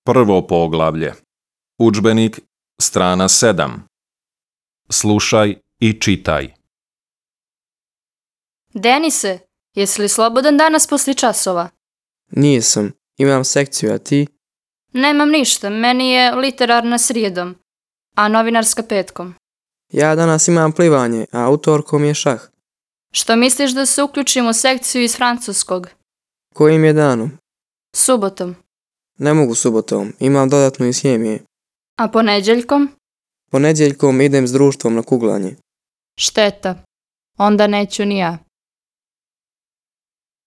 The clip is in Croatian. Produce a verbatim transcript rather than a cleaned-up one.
Prvo poglavlje. Udžbenik, strana sedam. Slušaj i čitaj. Denise, jesi li slobodan danas poslije časova? Nisam. Imam sekciju, a ti? Nemam ništa, meni je literarna srijedom, a novinarska petkom. Ja danas imam plivanje, a utorkom je šah. Što misliš da se uključim u sekciju iz francuskog? Kojim je danom? Subotom. Ne mogu subotom, imam dodatnu iz hemije. A ponedjeljkom? Ponedjeljkom idem s društvom na kuglanje. Šteta. Onda neću ni ja.